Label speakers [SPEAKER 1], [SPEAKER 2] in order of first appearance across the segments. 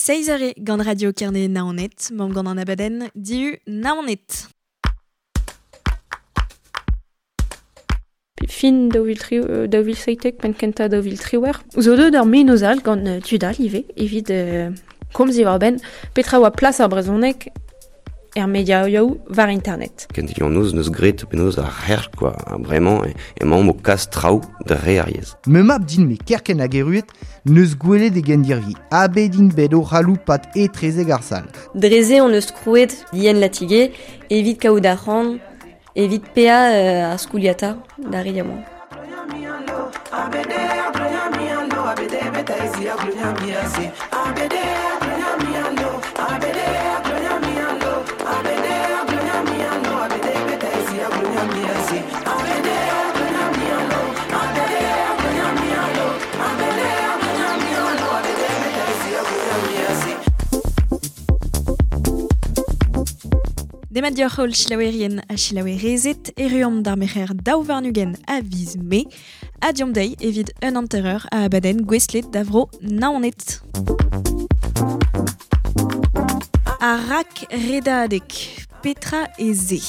[SPEAKER 1] Seizh eur eo gant Radio Kerne Naoned, mamm gant an abadenn Dihu Naoned.
[SPEAKER 2] Fin 2017, penn kentañ 2018. Zo deuet ur mennozh all gant tud all ivez evit komz diwar-benn petra oa plas ar brezhoneg er mediaoù war internet.
[SPEAKER 3] Kentelioù an noz neus graet penaos ar c'herk quoi. Bremañ emaomp o kas traoù dre ar yezh.
[SPEAKER 4] Me mab din-me kerkent hag erruet neus gwelet e gendirvi. Ha bet int bet o c'haloupat etrezek ar sal.
[SPEAKER 5] Dre-se hon eus krouet Yen Latigé evit kaout arc'hant evit paeañ ar skoliata d'ar re yaouank.
[SPEAKER 1] Demat deoc'h holl selaouerien ha selaouerezed, erru d'ar merc'her 22 a viz Mae, ha deomp dezhi evit un hanter-eur a abadenn gouestlet da vro Naoned. Ar rak redadeg, petra eo se?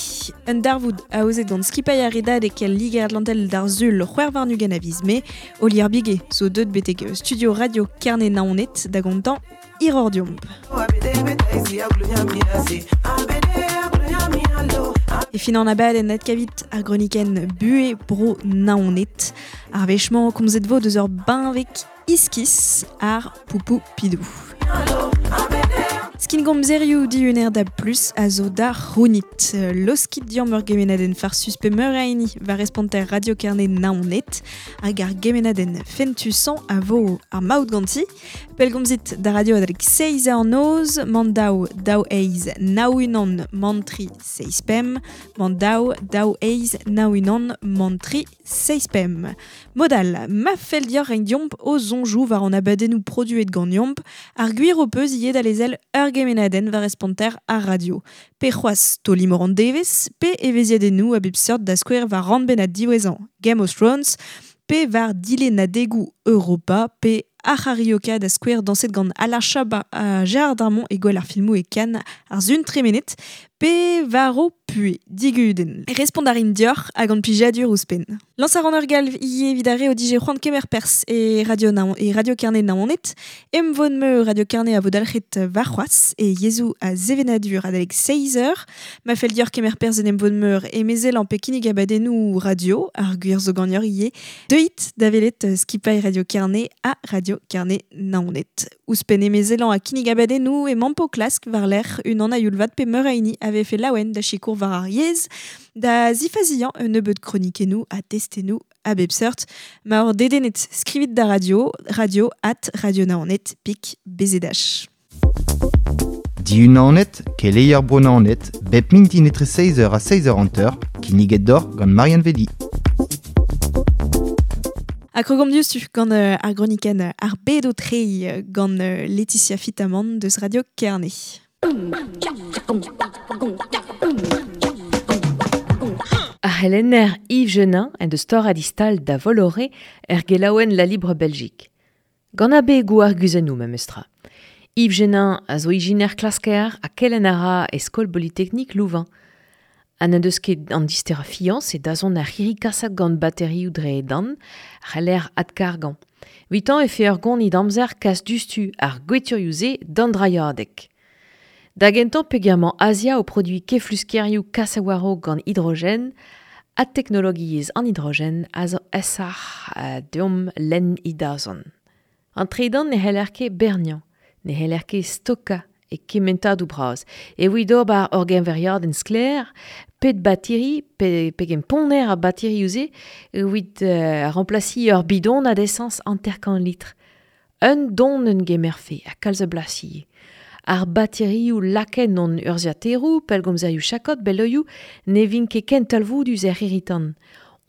[SPEAKER 1] Un darvoud aozet gant skipailh ar redadeg el Liger-Atlantel d'ar Sul 26 a viz Mae, Olier Biguet zo deuet betek studio Radio Kerne Naoned da gontañ hiroc'h deomp. E fin an abadenn adkavit ar gronikenn Buhez Bro Naoned. Ar wech-mañ komzet vo deus ur benveg iskis, ar poupou pidou. Skingomzerioù dihuner da plus a zo da c'hounit. Loskit diamm ur gemennadenn farsus pe meur a hini war responter Radio Kerne Naoned hag ar gemennadenn fentusañ a vo ar maout ganti. Pellgomzit da radio adalek seizh eur noz, man daou, daou eizh, nav unan, man tri, seizh pemp, man daou, daou eizh, nav unan, man tri, seizh pemp. Mod all, ma fell deoc'h reiñ deomp ho soñjoù war an abadennoù produet ganeomp, ar gwir ho peus ivez da lezel ur gemennadenn war responter ar radio. Pe c'hoazh taol-imor an devezh, pe evezhiadennoù a bep seurt da skouer war rannbennad diwezhañ Game of Thrones, pe war dilennadegoù Europa, pe ar c'harioka da skouer dañset gant Alain Chabat ha Gérard Darmon e gwel ar filmoù e Cannes ar sun tremenet, pe war ho puhez digudenn. Respont a rin deoc'h ha gant plijadur ouzhpenn. Lañs a ran ur galv ivez evit ar re o dije c'hoant kemer perzh e Radio Naon e Radio Kerne Naoned. Emvod-meur Radio Kerne a vo dalc'het warc'hoazh e yezhoù ha sevenadur adalek seizh eur. Ma fell deoc'h kemer perzh en emvod-meur emezelañ pe kinnig abadennoù radio, ar gwir zo ganeoc'h ivez, deuit da welet skipailh Radio Kerne ha Radio Kerne Naoned. Ouzhpenn emezelañ ha kinnig abadennoù emañ o klask war-lerc'h unan a-youl-vat pe meur a hini a vefe laouen da sikour war ar yezh, da zifaziañ un nebeud kronikennoù ha testennoù a bep seurt. Ma oc'h dedennet, skrivit da radio, radio at radionaoned pik bzh.
[SPEAKER 4] Diunanet, keleier Bro-Naoned, bep mintin etre seizh eur ha seizh eur hanter, kinniget deoc'h gant Marianne Vedi.
[SPEAKER 1] Ha krogomp diouzhtu gant ar gronikenn Ar bed o treiñ gant Laetitia Fitamant deus Radio Kerne.
[SPEAKER 6] Ar c'helenner Yves Genin en deus torret e stal da Volloré er gelaouenn La Libre Belgique. Gant abegoù arguzennoù memestra. Yves Genin a zo ijiner klasker ha kelenn a ra e skol Polytechnique Louvain. Ha n'en deus ket an disterañ fiañs e dazont ar c'hirri kaset gant baterioù dre dan a c'haller adkargañ. Evitañ e fe ur gonid amzer kas diouzhtu ar gweturioù-se d'an drailhadeg. Da gentañ peogwir emañ Azia o produiñ kefluskerioù kas a-war-raok gant hidrogen ha teknologiezh an hidrogen a zo aesoc'h deomp lenn he dazont. An tredan ne c'heller ket berniañ, ne c'heller ket stokañ e kementadoù bras. Evit ober ur geñveriadenn sklaer, pet batiri, pe pegen ponner ar batirioù-se evit remplasiñ ur bidonad esañs hanter-kant litr. Un donenn gemerfe ha kalz a blas ivez. Ar baterioù lakaet hon urzhiataeroù, pellgomzerioù chakod, beloioù, ne vint ket ken talvoudus er c'hirri-tan.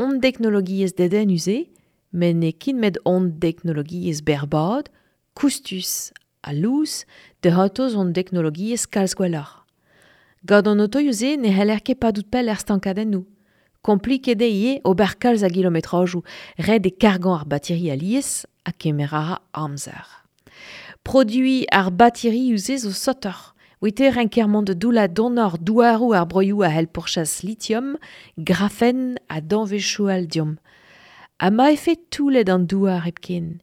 [SPEAKER 6] Hon deknologiezh dedennus eo, met n'eo ket met hon deknologiezh berrbad, koustus ha lous, da c'hortoz hon deknologiezh kalz gwelloc'h. Gant an otoioù-se ne c'heller ket padout pell er stankadennoù. Kompliket eo ivez ober kalz a gilometrajoù, ret eo kargañ ar bateri alies ha kemer a ra amzer. Produi ar batiri uze zo sotor. Wite renkermont de doula donor douarou ar broioù a hel pourchas lithium, grafen a danvechou al diom. Ha ma efe toulet an douar hepken.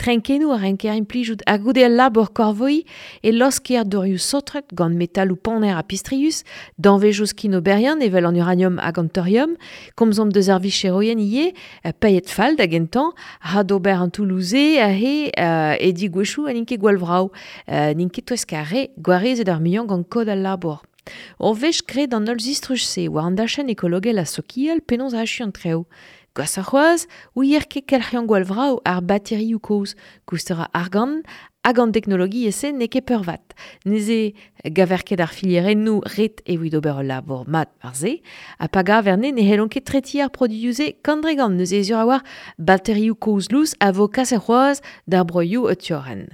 [SPEAKER 6] Trenkenou a renker implijout ha goude al labor korvoi e losker dorioù sotret gant metalou paner a pistrius, danvejous kinoberian evel an uranium hag an thorium, komzomp deus ar vicheroien ie, paet fall da gentan, ha d'ober an Toulouse a he e digwechou a n'int ket gwall vrao, n'int ket touesk ar re gwarezet ar muiañ gant kod al labour. Ur wech graet an holl zistruj-se war an dachenn ekologel ha sokial penaos achu an treo. Gwas ar c'hoaz, ouier ket kelc'hian gwall vrao ar baterioù kozh, koustera argant, hag an teknologiezh-se n'eo ket peurvat. Neuze gaver ket ar filierennoù ret evit ober ul labour mat war se, ha pa gaver ne ne c'hellont ket tretiñ ar produioù-se kant dre gant, neuze ez ur a war baterioù kozh lous a vo kaset c'hoazh d'ar broioù o tiorren.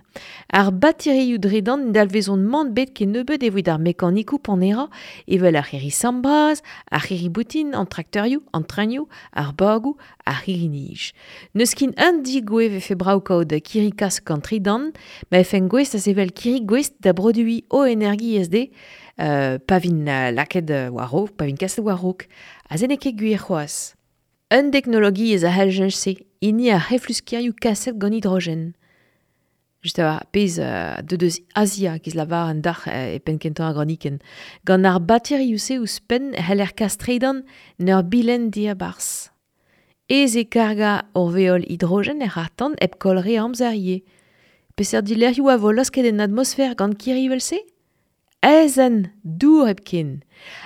[SPEAKER 6] Ar baterioù dredan dalvezont mann bet ket nebeut evit ar mekanikoù panera, evel ar c'hirri sambraz, ar c'hirri boutin, an traktorioù, an trainioù, ar bagoù, ar c'hirri-nij. N'eus kin un digoue vefe brav kaout kirri kas gant tridan, ma efen gouest a sevel kirri gouest da produiñ o energiezh de, pa vin lakaet war-raok, pa vin kaset war-raok. Ha se n'eo ket gwir c'hoazh. Un teknologiezh a c'hell cheñch-se, hini ar c'hefluskirioù kaset gant hidrogen. Just a pezh deus deus Asia giz lavar an dac'h e penn kentañ ar gronikenn. Gant ar baterioù-se ouzhpenn c'heller kas tredan n'ur bilen diabarzh. Ez e karga ur veol hidrogen er c'harr-tan hep koll re amzer ivez. Peseurt dilerc'hioù a vo losket en atmosfer gant kirri evel-se? Aezhenn, dour hepken.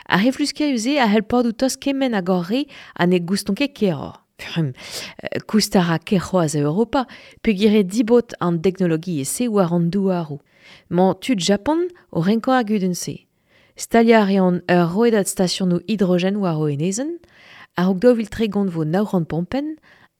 [SPEAKER 6] Ar c'hefluskerioù-se a c'hell padout tost kement hag hor re ha ne goustont ket keroc'h. Koust a ra ker c'hoazh a Europa, peogwir eo dibaot an teknologiezh-se war an douaroù. Mañ tud Japan o renkañ ar gudenn-se. Staliañ a reont ur rouedad stasionoù hidrogen war o enezenn, a-raok 2030 vo 900 pompenn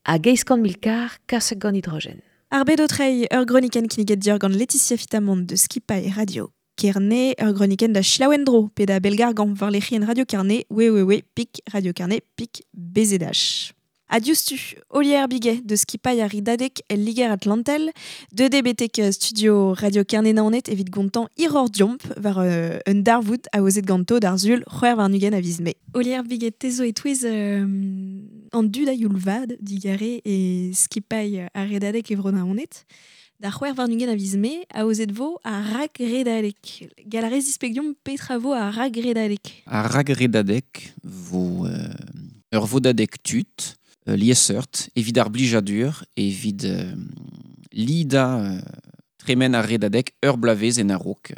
[SPEAKER 6] hag 800 000 karr kaset gant hidrogen.
[SPEAKER 1] Ar bed o treiñ, ur gronikenn kinniget dior gant Laetitia Fitamant de Skipailh Radio Kerne, ur gronikenn da selaou en-dro, pe da bellgargañ war lec'hienn Radio Kerne, www pik Radio Kerne pik BZH. Ha diouzhtu, Olier Biguet de Skipailh ar Ridadeg el Liger Atlantel, deuet eo betek studio Radio Kerne Naoned evit gontañ hiroc'h diomp war un darvoud aozet ganto d'ar Sul 26 a viz Mae. Olier Biguet, te zo e-touez an dud a youl vat digare e skipailh ar Redadeg e Bro Naoned. D'ar 26 a viz Mae, aozet vo ar rak-redadeg. Gall a rez displeg deomp petra vo ar rak-redadeg?
[SPEAKER 7] Ar rak-redadeg vo ur vodadeg tud, liesseurt, evit ar blijadur, evit lidañ tremen ar redadeg ur bloavezh en a-raok.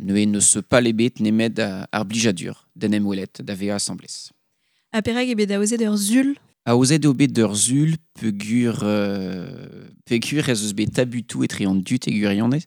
[SPEAKER 7] Neuze n'eus pal ebet nemet ar blijadur d'en em welet, da vezañ asambles.
[SPEAKER 1] Ha perak eo bet aozet ur sul?
[SPEAKER 7] Aozet eo bet ur sul peogwir peogwir ez eus bet tabutoù etre an dud e gwirionez.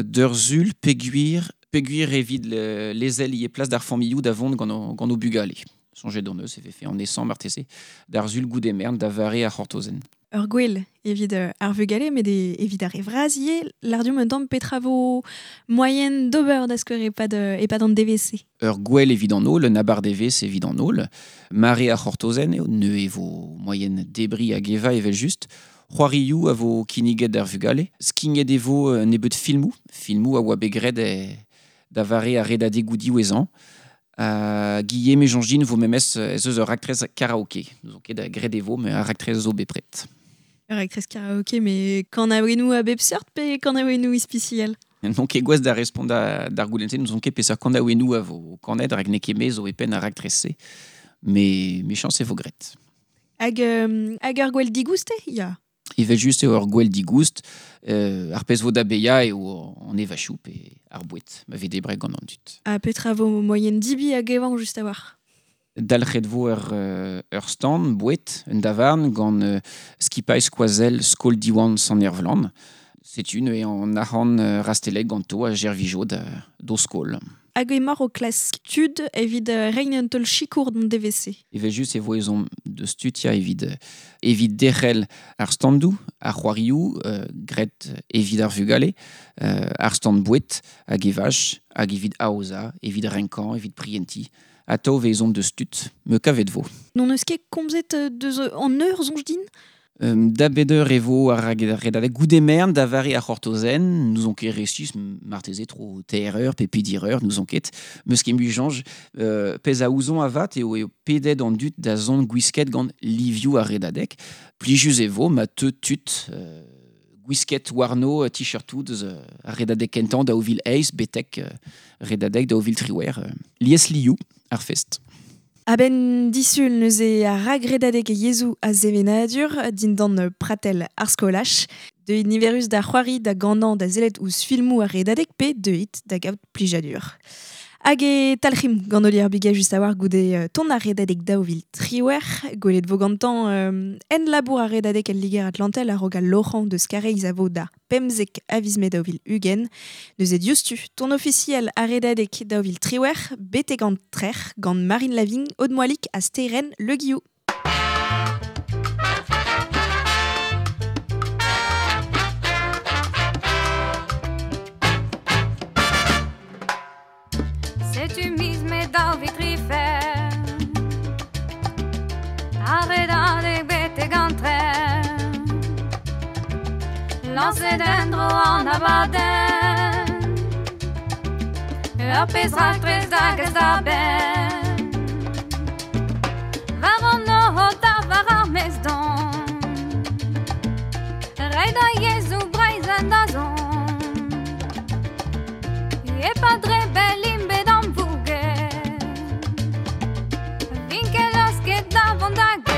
[SPEAKER 7] D'ur sul peogwir peogwir evit lezel ivez plas d'ar familhoù da vont gant o, gant o bugale. Soñjet hon eus e vefe an esañ marteze d'ar sul goude mern da vare ar c'hortozenn.
[SPEAKER 1] Ur gwel evit ar vugale, met evit ar re vras ivez, lâr deomp un tamm petra vo moaien d'ober da skouer e-pad, e-pad an devezh-se.
[SPEAKER 7] Ur gwel evit an holl, un abardevezh evit an holl. Mare ar c'hortozenn eo, neuze e vo moaien debriñ hag evañ evel-just. C'hoarioù a vo kinniget d'ar vugale. Skignet e vo un nebeud filmoù, filmoù a oa bet graet da vare ar redadegoù diwezhañ. Guillaume et Jean-Jean vo memes ez eus ur raktres karaoke. N'ouzon ket da graet e vo, mais ar raktres zo bepred.
[SPEAKER 1] Ur raktres karaoke, mais kanaouennoù a bep seurt pe kanaouennoù ispisial?
[SPEAKER 7] N'on ket gouest da respont d'ar goulenn-se, n'ouzon ket peseurt kanaouennoù a vo kanet, rak n'eo ket me zo e penn ar raktres-se. Mais mechañs e vo graet.
[SPEAKER 1] Hag, hag ur gwell digoust eo? Ya.
[SPEAKER 7] Evel-just eo ur gwell digoust, ar pezh vo da baeañ eo an evachoù pe ar boued ma vez debret gant an dud.
[SPEAKER 1] Ha petra vo moaien dibi hag evañ just a-walc'h?
[SPEAKER 7] Dalc'het vo ur stand boued, un davarn gant skipailh skoazell Skol Diwan Sant-Ervlan. Setu neuze an arc'hant rastellet ganto a servijo d'o skol.
[SPEAKER 1] Hag emaoc'h o klask tud evit reiñ un taol sikour d'an devezh-se.
[SPEAKER 7] Evel-just e vo ezhomm deus tud ya evit, evit derc'hel ar standoù, ar c'hoarioù graet evit ar vugale, ar stand boued hag evaj, hag evit aozañ, evit renkañ, evit prientiñ. Atav e vez ezhomm deus tud, me kavet vo.
[SPEAKER 1] N'hon eus ket komzet deus an eur, soñj din?
[SPEAKER 7] Da beder e vo ar redadeg goudemern da vare ar c'hortozen, nous on ket resis marteze tro teir eur pe pedir eur, nous on ket, meus ket mui janj, pez a ouzon avat eo eo pedet an dut da zon gwisket gant livioù ar redadeg, plijus e vo ma te tut gwisket warno t-shirtou deus ar redadeg kentan da ovil eiz betek redadeg da ovil triwer, lies liou ar fest.
[SPEAKER 1] A-benn disul neuze ar ragredadeg e yezhoù a sevenadur dindan pratel ar skolaj. Deuit niverus da c'hoari da ganañ da sellet ouzh filmoù ar redadeg pe deuit da gaout plijadur. Hag e talc'him gant Olier Biga just a-war goude ton ar redadeg daou vil triwec'h, gwelet vo gantañ en labour ar redadeg el Liger Atlantel a-raok al loc'hañ deus Kareiz a vo da pemzek a viz Mae 2020. Neuze diouzhtu, ton ofisiel ar redadeg 2018, betek an trec'h gant Marine Lavigne, Aude Moalic ha Sterenn Le Guillou.
[SPEAKER 8] Setu miz Mae 2023, ar redadeg betek an trec'h. Lañset en-dro an abadenn, ur pezh raktres da gas da benn. War an nor da war ar maez don, reiñ da yezhoù Breizh en dazont. E-pad dre bell int bet amvouget, vin ket laosket da vont da get.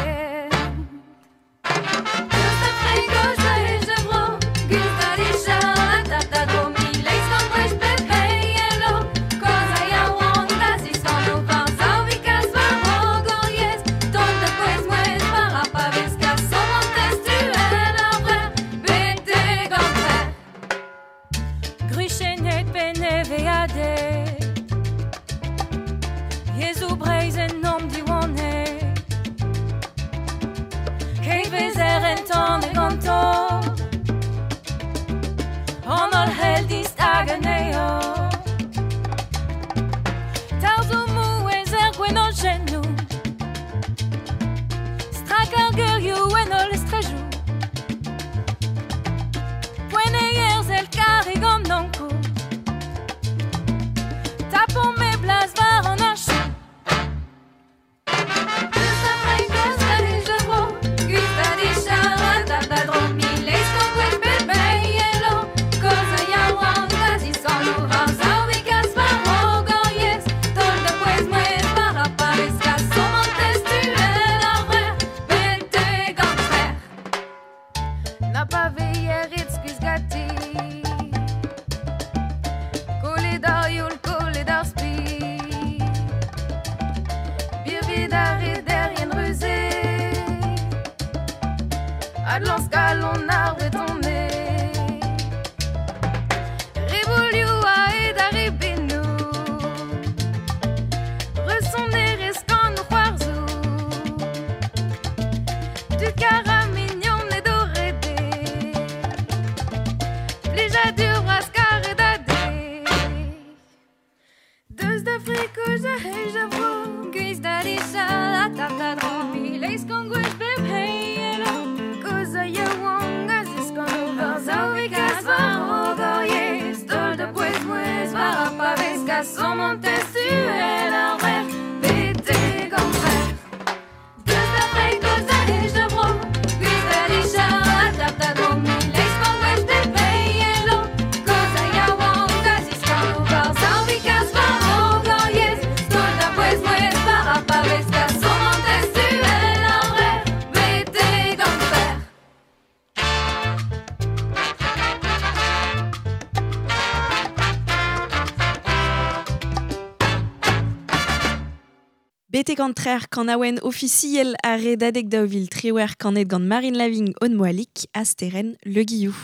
[SPEAKER 1] Betek an trec'h kanaouenn ofisiel ar redadeg 2018 kanet gant Marine Lavigne Aude Moalic ha Sterenn Le Guillou.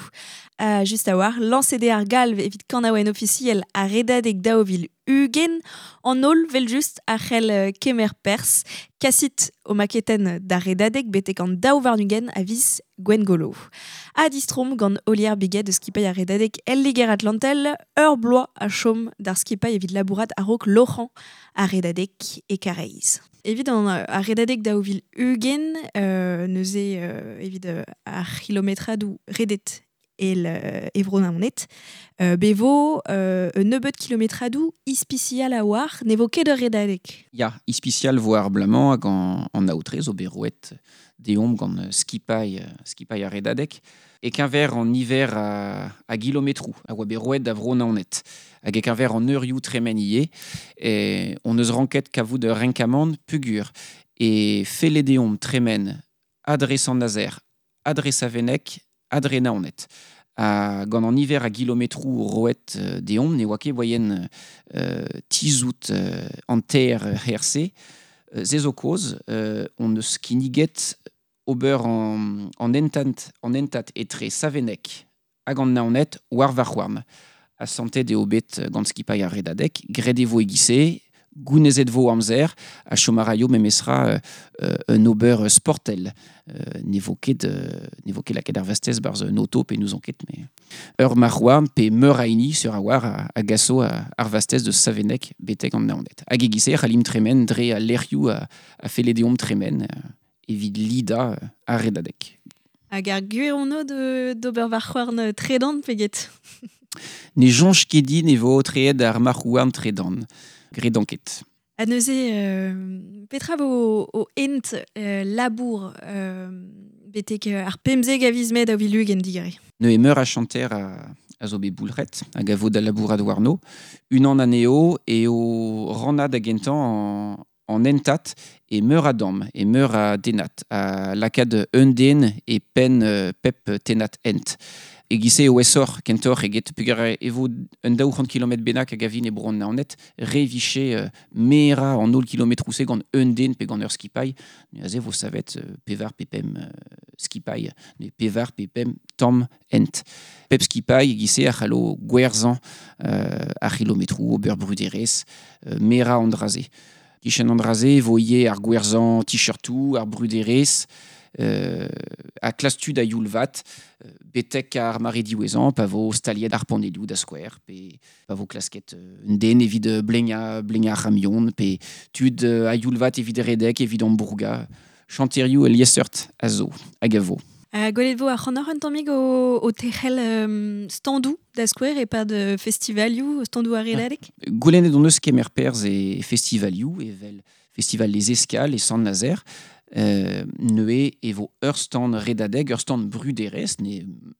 [SPEAKER 1] Just a-war, lañset eo ar galv evit kanaouenn ofisiel ar redadeg 2020 an holl vel just ar c'hell kemer perzh, kasit o maketenn d'ar redadeg betek an daou warn-ugent a viz Gwengolo. Ha distrom gant Olier Biget eus skipailh ar redadeg el Liger Atlantel, ur bloaz a chom d'ar skipailh evit labourat a-raok loc'hañ ar redadeg e Karaez. Evit an ar redadeg 2020, neuze evit ar c'hilometradou redet el evro naonet, bevo un nebeut kilometradou ispicial a war, ne vo ket ur redadeg.
[SPEAKER 7] Ya, ispicial vo ar blamañ hag an aotre zo bet roet deomp gant skipailh ar redadeg. E keñver an niver a gilometrou a oa bet roet da vro Naoned. Hag e keñver an eurioù tremen ivez, on eus ranket kavout ur renkamant pugur. E felle deomp tremen adre Sant-Nazer, adre Saveneg, adre Naoned. Ha gant an niver a gilometrou roet deomp, ne oa ket voyen tizout an ter herse. Ze zo koz, on eus kinniget ober an entat etre Saveneg hag an Naoned war varc'houarn. A santet eo bet gant skipailh ar redadeg, graet e vo e-giz-se, gounezet vo amzer, a chom a raio memestra un ober sportel. Ne vo ket lakaet ar vastez barzh un auto pe n'ouzon ket, mais ur marc'houarn pe meur a hini sur a war a gaso ar vastez de Saveneg betek an Naoned. Hag e-giz-se c'hallimp tremen dre al lec'hioù a felle deomp tremen evit lida ar redadeg.
[SPEAKER 1] Hag ar gwir ono d'ober varc'houarn tredan pe get?
[SPEAKER 7] Ne soñj ket din e vo aotreet ar marc'houarn tredan. Gredan ket.
[SPEAKER 1] Ha neuze, petra vo o ent labour betek ar pemzeg a viz mae 2020 digare?
[SPEAKER 7] Neuze meur a chanter a zo bet boulc'het hag a vo da labourat warno. Unan anezho eo rannañ da gentañ an entat e meur a damm, e meur a denat, a lakaat un den e penn pep tenat ent. E giz-se eo aesoc'h kentoc'h eget peogwir e vo un 200 kilometr bennak hag a vin e bro an Naoned, re viche merañ an holl kilometroù-se gant un den pe gant ur skipailh. Neuze vo savet pevar pe pemp skipailh, pevar pe pemp tamm ent. Pep skipailh e giz-se a c'hallo gwerzhañ ar c'hilometroù, ober bruderezh, merañ an dra-se. Kichen an dra-se vo ivez ar gwerzhañ t-shirtoù, ar bruderezh, a klas tud a youl vat, betek ar mare diwezhañ, pa vo staliet ar panelioù da skouer, pe pa vo klasket un den evit bleñañ ar c'hamion, pe tud a youl vat evit redek, evit ambourgañ. Chanterioù liesseurt a zo, hag a vo.
[SPEAKER 1] Gwelet vo ar c'hanoc'h un tammig o tec'hel standoù da skouer e-pad festivalioù, standoù ar redadeg?
[SPEAKER 7] Goulennet hon eus kemer perzh e festivalioù, evel festival Les Escales e Sant-Nazer. Neuze e vo ur stand redadeg, ur stand bruderezh, ne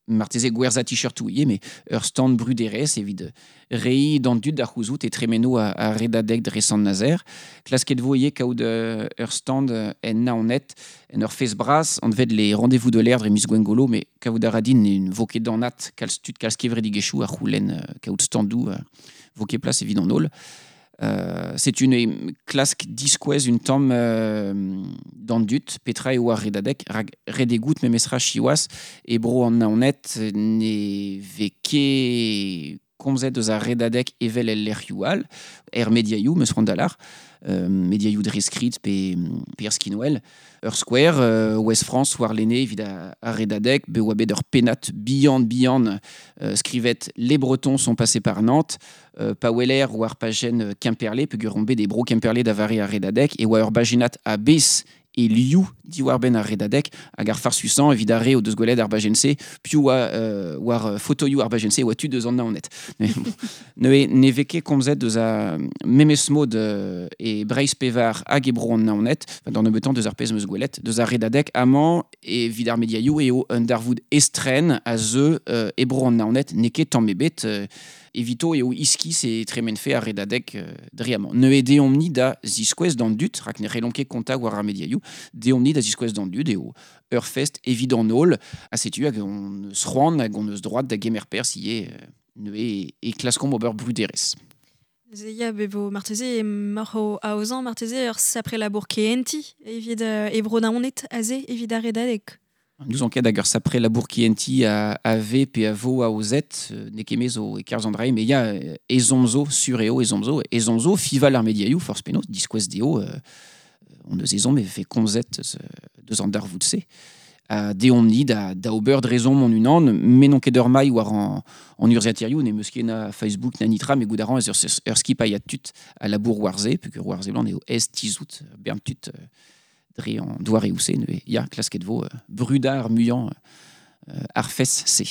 [SPEAKER 7] marteze gwerzhañ t-shirtoù ivez, mais ur stand bruderezh evit reiñ d'an dud da c'houzout e tremeno ar redadeg dre Sant-Nazer. Klasket vo ivez kaout ur stand en Naoned, en ur fest bras, anvet les rendez-vous de l'air dre miz Gwengolo, mais kaout a ra din ne vo ket anat kalz tud, kalz kevredigezhioù a c'houlenn kaout standoù vo ket plas evit an holl. C'est une klask diskouez un tamm d'an dud, petra eo ar redadeg, rak redegout memestra siwazh e bro an Naoned ne vez ket komzet eus ar redadeg evel el lec'hioù all, er mediaioù, meus c'hoant da lar, mediaioù dre skrid pe er skinwel. Ur skouer, Ouest France war lene evit ar redadeg, be oa bet ur pennad bihan skrivet Les Bretons sont passés par Nantes, pa weler war pajenn Kemperle, peogwir on bet e bro Kemperle da vare ar redadeg, e oa ur bajennad a bez e liou diwar-benn ar redadeg hag ar farsusañ evit ar re o deus gwelet ar bajenn-se, piv oa war fotoioù ar bajenn-se oa tud eus an Naoned. Neuze ne vez ket komzet eus a memes mod e Breizh pevar hag e bro an Naoned, d'an nebeutañ deus ar pezh 'm eus gwelet, deus ar redadeg amañ evit ar mediaioù eo un darvoud estren a zeu e bro an Naoned, n'eo ket tamm ebet evito eo iskis e tremenfe ar redadeg dre amañ. Neuze deomp-ni da ziskouez d'an dud, rak ne c'hellomp ket kontañ war ar mediaioù, deomp-ni da ziskouez d'an dud eo ur fest evit an holl, ha setu hag on eus c'hoant hag on eus droad da gemer perzh ivez neuze e klaskomp ober bruderezh.
[SPEAKER 1] Neuze ya, be vo marteze moc'h o aozañ marteze ur sapre labour kehentiñ evit e bro Naoned aze evit ar redadeg.
[SPEAKER 7] Nous ket hag ur sapre labour kehentiñ a v pe a vo aozet, n'eo ket me zo e kerzh an dra, mais ya ezhomm zo, sur eo ezhomm zo, fival ar mediaioù, forzh penaos, diskouez dezho, on eus ezhomm e vefe komzet deus an darvoud-se. Deomp-ni da ober drezomp an unan, me n'on ket ur mailh war an urzhiataerioù, ne meus ket na Facebook na nitra, me gout a ran ez ur skipailh a tud a labour war se, peogwir war se blant eo ez tizout bern tud dre an doare ouse, neuze ya, klasket vo brudañ ar muiañ ar fes se.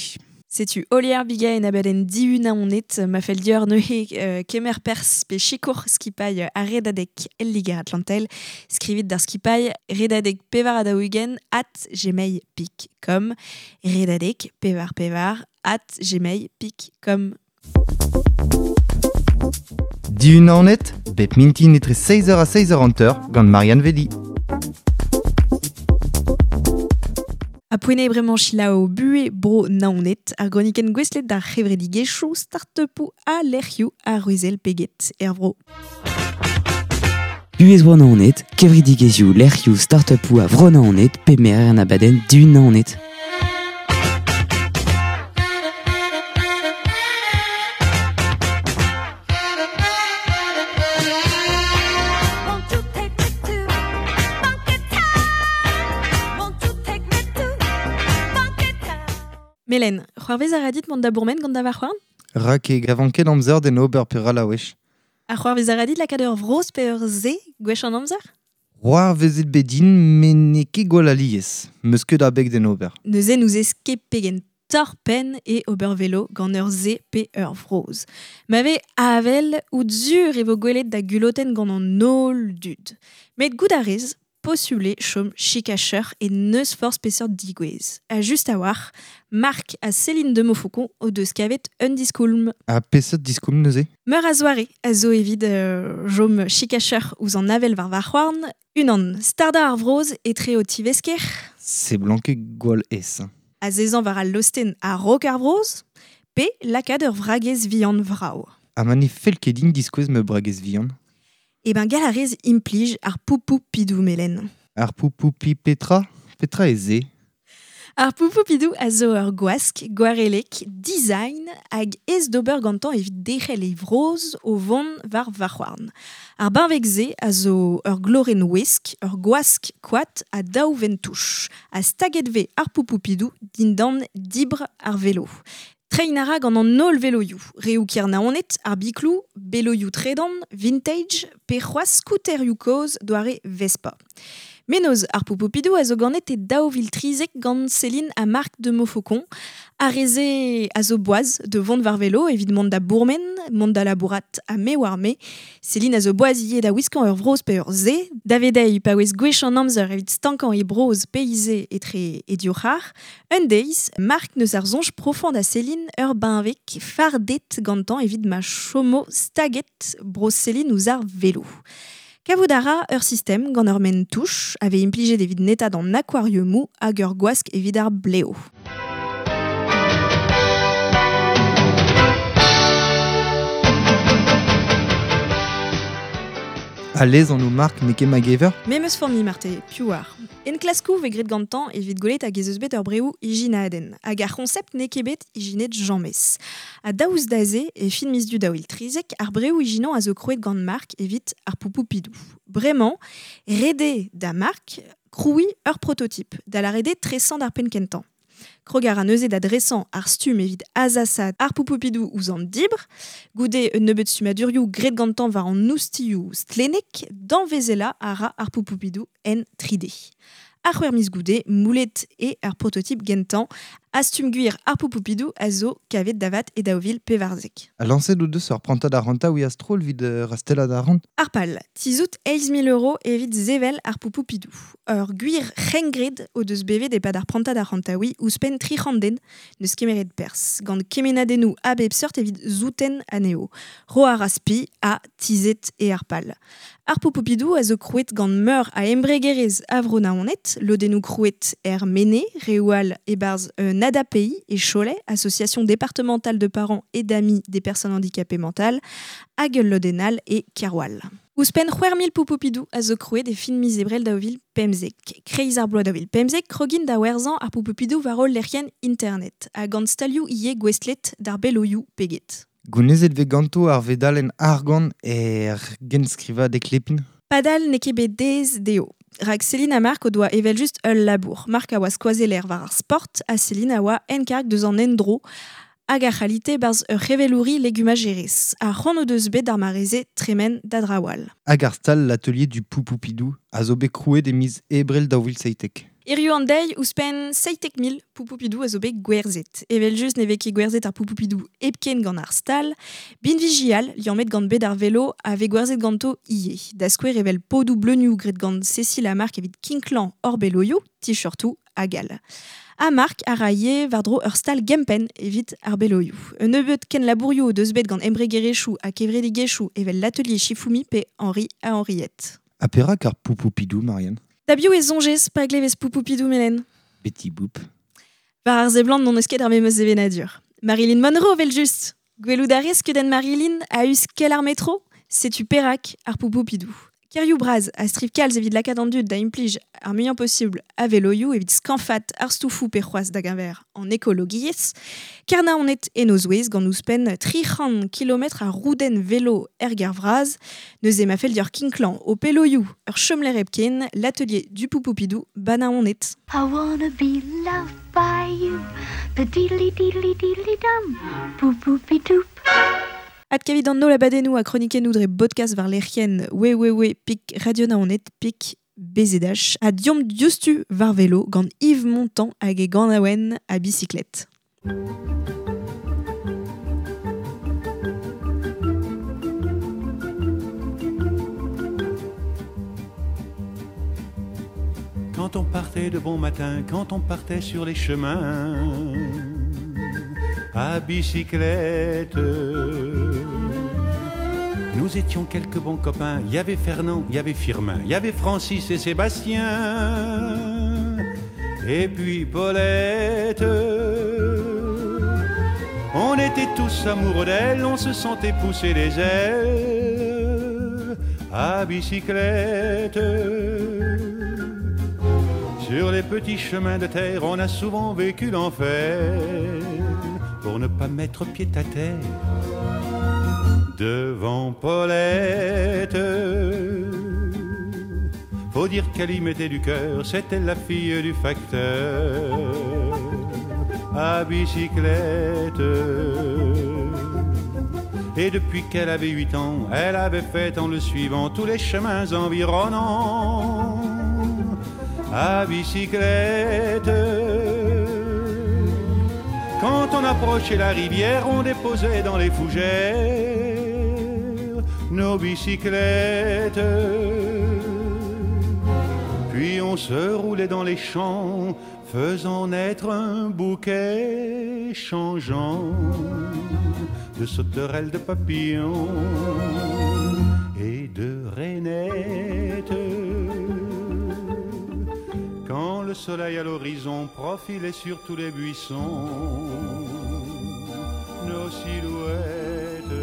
[SPEAKER 1] Setu Olier Biga en abadenn diun aonet, ma fell dior neuze kemer pers pe sikour skipailh ar redadeg el Liger Atlantel, skrivit d'ar skipailh redadeg pevar adaougen @gmail.com redadeg pevar pevar @gmail.com.
[SPEAKER 4] Diun aonet, bep mintin etre 16h ha 16h50 gant Marianne Vedi.
[SPEAKER 1] A poene bremañ selaou buhe bro Naoned, ar gronikenn gouestlet d'ar c'hevredigezhioù start-upoù ha lec'hioù ar Ruzel peget er vro.
[SPEAKER 9] Buhez bro Naoned, kevredigezhioù lec'hioù start-upoù a vro Naoned pe merer an abadenn du Naoned.
[SPEAKER 1] Melen, c'hoarvez a ra dit mont da bourmen gant da varc'hoarn?
[SPEAKER 4] Rak e gavan ket amzer d'en ober pe ral a wech.
[SPEAKER 1] Ha c'hoarvez a ra dit lakaat ur vroz pe ur se gwech an amzer?
[SPEAKER 4] C'hoarvezet bet din, met n'eo ket gwall alies. Meus ket abeg d'en ober.
[SPEAKER 1] Neuze nous ez ket pegen torr-penn e ober velo gant ur se pe ur vroz. Ma vez avel out zur e vo gwelet da gulotenn gant an holl dud. Met goût a rez, possible chom chikacheur et neus force peseurt digouez. A just a war, Marc a Céline de Montfaucon o deus kavet un diskoulm.
[SPEAKER 4] A peseurt diskoulm neuze?
[SPEAKER 1] Meur a zoare a zo evit jom chikacheur ouzh an avel war varc'hoarn, unan starda ar vroz etre o tivesker.
[SPEAKER 4] Se blanke gwall ez.
[SPEAKER 1] A zezan war al losten a rok ar vroz, pe lakaat ur vragez vihan vrao.
[SPEAKER 4] Ha ma ne fell ket din diskouez ma bragez vihan?
[SPEAKER 1] E ben gall a rez implij ar poupou pidou melen.
[SPEAKER 4] Ar poupou pi petra? Petra e ze?
[SPEAKER 1] Ar poupou pidou a zo ur gwask, gwarelek, design hag ez d'ober gantañ evit derc'hel e vroz o vont war varc'hoarn. Ar benveg se a zo ur glorenn ouesk, ur gwask koad ha daou ventouch, ha staget vez ar poupou pidou dindan dibr ar velo. Trein a ra gant an holl veloioù, reoù Kernaonet, ar biklou, beloioù tredan, vintage, pe c'hoazh skouterioù kozh doare Vespa. Menoz ar poupou-pidou a zo ganet e 2013 gant Céline ha Marc de Montfaucon, ar reze a zo boaz de vont war velo evit mont da bourmen, mont da labourat ha me war me. Céline a zo boaz ivez da wiskañ ur vroz pe ur se, da vedeiñ paouez gwech an amzer evit stankañ e broz pe ize etre e dioc'har. Un deiz, Marc neus ar soñj profant da Céline ur benveg fardet gantañ evit ma chomo staget broz Céline ouzh ar velo. Kavout a ra ur sistem gant ur men touch a vez implijet evit netat an aquariumou hag ur gwask evit ar bleo.
[SPEAKER 4] A lez an o Marc n'eo ket ma gever?
[SPEAKER 1] Memes formi marte, piv war. En klaskou vez graet gantañ evit gwelet hag ez eus bet ur breoù ijinadenn, hag ar c'honsept n'eo ket bet ijinet james. Ha daoust da se, e fin miz du 2013, ar breoù ijinañ a zo krouet gant Marc evit ar poupou pidou. Bremañ, rede da Marc krouiñ ur prototype, da lâret eo tresañ d'ar penn kentañ. Krog a ra neuze da dresañ ar stumm evit azasat ar poupoupidou ouzh an dibr, goude un nebeud stummadurioù graet gantañ war an oustilhoù stlennek, danvezelañ a ra ar poupoupidou en 3D. Ar c'hwec'h miz goude, moulet eo ar prototype gentañ, ha stumm gwir ar poupoupidou a zo kavet davat e 2014.
[SPEAKER 4] A lañset o deus ur prantad arc'hantaouiñ a-stroll evit rastellat arc'hant?
[SPEAKER 1] Ar pal, tizout 8 000 euros evit sevel ar poupoupidou. Ur gwir c'hengred o deus bevet e-pad ar prantad arc'hantaouiñ ouzhpenn 300 den neus kemeret perzh, gant kemennadennoù a bep seurt evit souten anezho. Ro ar spi ha tizhet eo ar pal. Ar poupoupidou a zo krouet gant meur a embregerezh a vro Naoned, lodennoù krouet er Mene, reoù all e-barzh un ADAPI e Cholet, association départementale de parents et d'amis des personnes handicapées mentales, hag ul lodenn all e Keroual. Ouzhpenn 6 000 poupoupidou a zo krouet e fin miz Ebrel 2015. Kreiz ar bloaz 2015, krogin da werzhañ ar poupoupidou war hol lec'hienn internet, ha gant stalioù ivez gouestlet d'ar beloioù peget.
[SPEAKER 4] Gounezet vez ganto ar vedalenn argant er genskrivadeg Lepin?
[SPEAKER 1] Padal n'eo ket bet aes dezho. Rak Céline ha Marc o doa evel just ul labour. Marc a oa skoazeller war ar sport ha Céline a oa enkarg deus an endro hag ar c'halite barzh ur c'hevelouri legumajerez. Ar c'hoant o deus bet d'ar mareze tremen da drawal.
[SPEAKER 4] Hag ar stal l'atelier du Poupoupidou a zo bet krouet e miz ebrel 2017.
[SPEAKER 1] Hiziv an deiz ouzhpenn 17 000 poupoupidou a zo bet gwerzhet. Evel just ne vez ket gwerzhet ar poupoupidou hepken gant ar stal, binvijial liammet gant bed ar velo a vez gwerzhet ganto ivez. Da skouer evel podoù bleunioù graet gant Cécile ha Marc evit kinklañ hor beloioù, t-shirtoù hag all. Ha Marc a ra ivez war-dro ur stal gempenn evit ar beloioù. Un nebeud kenlabourioù o deus bet gant embregerezhioù ha kevredigezhioù evel l'atelier Shifumi pe Henri ha Henriette.
[SPEAKER 4] Ha perak ar Poupoupidou, Marianne?
[SPEAKER 1] Da biv e soñjez pa glevez Poupoupidou, Melen?
[SPEAKER 4] Betty Boop.
[SPEAKER 1] War ar seblant n'hon eus ket ar memes sevenadur. Marilyn Monroe, vel just. Gwelout a rez skeudenn Marilyn a-us kel ar metro? Setu perak ar Poupoupidou. Kêrioù bras a striv kalz evit lakaat an dud da implij ar muiañ posubl a veloioù evit skañfaat ar stoufoù pe c'hoazh da geñver an ekologiezh. Kernaonet en o zouez gant ouzhpenn 300 kilometr a roudenn velo er gêr vras. Neuze ma fell deoc'h kinklañ ho peloioù ur chomlec'h hepken, l'atelier du Poupoupidou ba Naoned.
[SPEAKER 10] I wanna be loved by you, pa-diddly diddly diddly dum, poupoupidoup.
[SPEAKER 1] Adkavit an holl abadennoù ha kronikennoù dre bodkast war lec'hienn www.radionaoned.bzh ha deomp diouzhtu war velo gant Yves Montand hag e ganaouenn a bicyclette.
[SPEAKER 11] Quand on partait de bon matin, quand on partait sur les chemins à bicyclette, nous étions quelques bons copains. Il y avait Fernand, il y avait Firmin, il y avait Francis et Sébastien, et puis Paulette. On était tous amoureux d'elle, on se sentait pousser les ailes à bicyclette. Sur les petits chemins de terre, on a souvent vécu l'enfer pour ne pas mettre pied à terre devant Paulette. Faut dire qu'elle y mettait du cœur, c'était la fille du facteur à bicyclette. Et depuis qu'elle avait 8 ans, elle avait fait en le suivant tous les chemins environnants à bicyclette. Quand on approchait la rivière, on déposait dans les fougères nos bicyclettes. Puis on se roulait dans les champs, faisant naître un bouquet changeant de sauterelles, de papillons et de rainettes. Quand le soleil à l'horizon profilait sur tous les buissons nos silhouettes,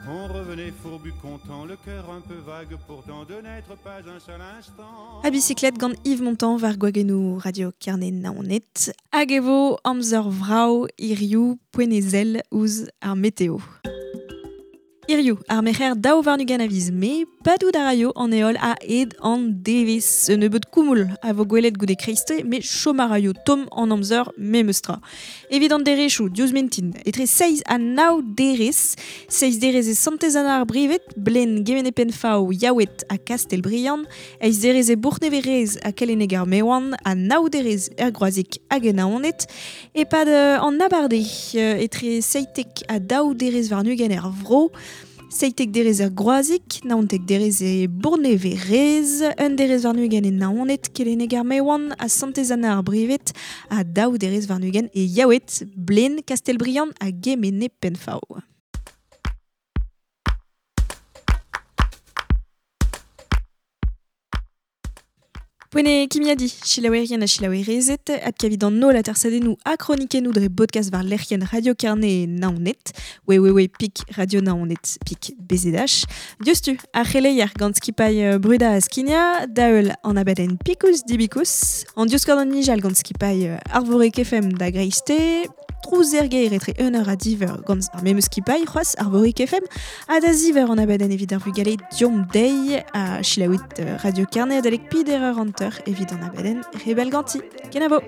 [SPEAKER 11] on revenait fourbu content, le cœur un peu vague pourtant de n'être pas un seul instant.
[SPEAKER 1] A bicyclette gant Yves Montand war gwagennoù Radio Kerne Naoned. Hag e vo amzer vrav hiziv poent e sell ouzh ar meteo. Hiziv, ar merc'her 22 a viz Mae, padout a raio an heol a-hed an devezh. Un nebeud koumoul a vo gwelet goude kreisteiz, met chom a raio tomm an amzer memes tra. Evit an derezhioù, diouzh mintin, etre 6 ha 9 derez, 6 derez e Santez-Anna-ar-Brived, Blen, Gemene-Penfaou, Yaoued ha Kastelbriand, 8 derez e Bourc'h-Neverez ha Keleneg-ar-Mewan, ha 9 derez er Groazic hag en Naoned. E-pad an abardaez, etre 7 ha 2 derez warn-ugent er vro, 7 derez er Groazic, 19 derez e Bourneverez, 1 derez warn-ugent e Naoned, Keleneg-ar-Mewan ha Santez-Anna-ar-Brived, ha 2 derez warn-ugent e Yaoued, Blen, Kastelbriand ha Gemene-Penfaou. Poent eo kimiadiñ, selaouerien ha selaouerezed, adkavit an holl atersadennoù ha kronikennoù dre bodkast war lec'hienn Radio Kerne Naoned, www.radionaoned.bzh. Diouzhtu, ar c'heleier gant skipailh Bruda ha Skignañ, da heul an abadenn Pikous Dibikous, an diouskor d'an nijal gant skipailh Arvorig FM da greisteiz, Trouz ergeir etre 1 eur a diver gant ar memeus skipailh c'hoaz ar Vorik FM ha da ziver an abadenn evit ar vugale diom deiz a chilaouit Radio Kerne adalek pider eur hanter evit an abadenn rebel ganti. Kenavo!